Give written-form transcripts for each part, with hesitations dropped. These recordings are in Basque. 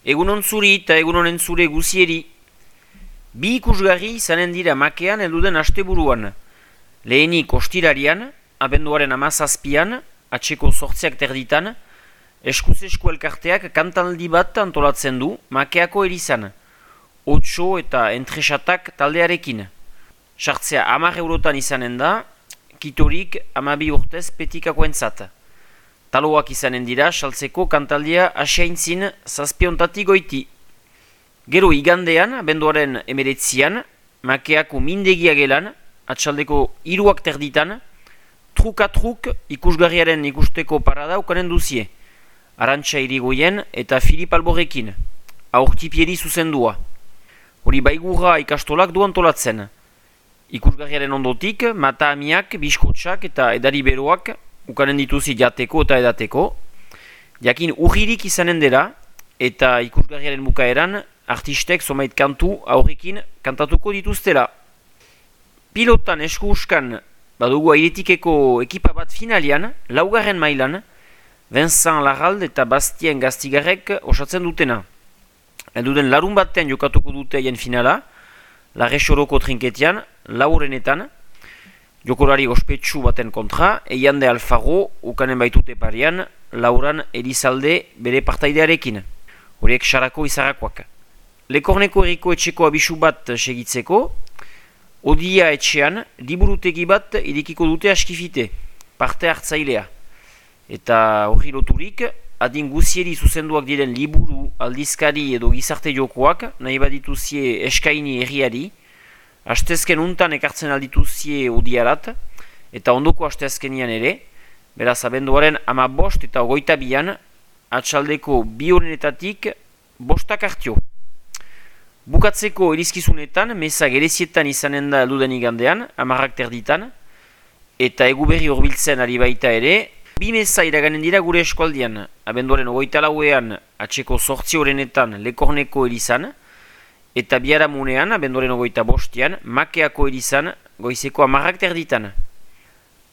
Egunon zuri eta egunonen zure guzieri. Bi ikusgarri izanen dira makean elduden asteburuan. Lehenik ostirarian, abenduaren 17an, atseko 8ak terditan, eskuz-esku elkarteak kantaldi bat antolatzen du makeako erizan. Otso eta entresatak taldearekin. Sartzea 10 eurotan izanen da, kitorik 12 urtez petikakoentzat. Taloak izanen dira, saltzeko kantaldia asiaintzin 7 goiti. Gero igandean, abenduaren 19an, makeako mindegia gelan, atxaldeko 3ak terditan, truk ikusgarriaren ikusteko parada ukanen duzie. Arantxa Irigoyen eta Filip Alborekin, aurtipieri zuzendua. Hori baigurra ikastolak du antolatzen. Ikusgarriaren ondotik, mata amiak, biskotxak eta edari beroak ukanen dituzi jateko eta edateko. Jakin urririk izanen dela eta ikusgarriaren bukaeran artistek zomait kantu aurrekin kantatuko dituztela. Pilotan esku-uskan badugu airetikeko ekipa bat finalian, 4. mailan, Vincent Larrald eta Bastien Gastigarrek osatzen dutena. Elduden larun batean jokatuko dute haien finala, Larresoroko trinketean, 4enetan, jokolari ospetsu baten kontra, Eiande Alfaro ukanen baitute parian, Lauran Elizalde bere partaidearekin. Horiek sarako izarrakoak. Lekorneko erriko etxeko abisu bat segitzeko, Odia etxean, liburutegi bat irikiko dute askifite, parte hartzailea. Eta hori loturik, adin guzieri zuzenduak diren liburu, aldizkari edo gizarte jokoak, nahi badituzie eskaini herriari, astezken untan ekartzen aldituzie odiarat, eta ondoko astezkenian ere, beraz abenduaren 15 eta 22an, atxaldeko 2 horrenetatik 5 hartio. Bukatzeko erizkizunetan, meza gerezietan izanen da elduden igandean, 10ak terditan, eta eguberri horbiltzen ari baita ere, 2 meza iraganen dira gure eskualdian, abenduaren 24an atseko 8 horrenetan Lekorneko erizan, eta biharamunean, abenduaren 25an, Makeako erizan, goizeko 10ak terditan.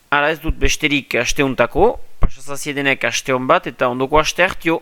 Hala ez dut besterik asteuntako, pasazaziedenek asteon bat eta ondoko aste hartio.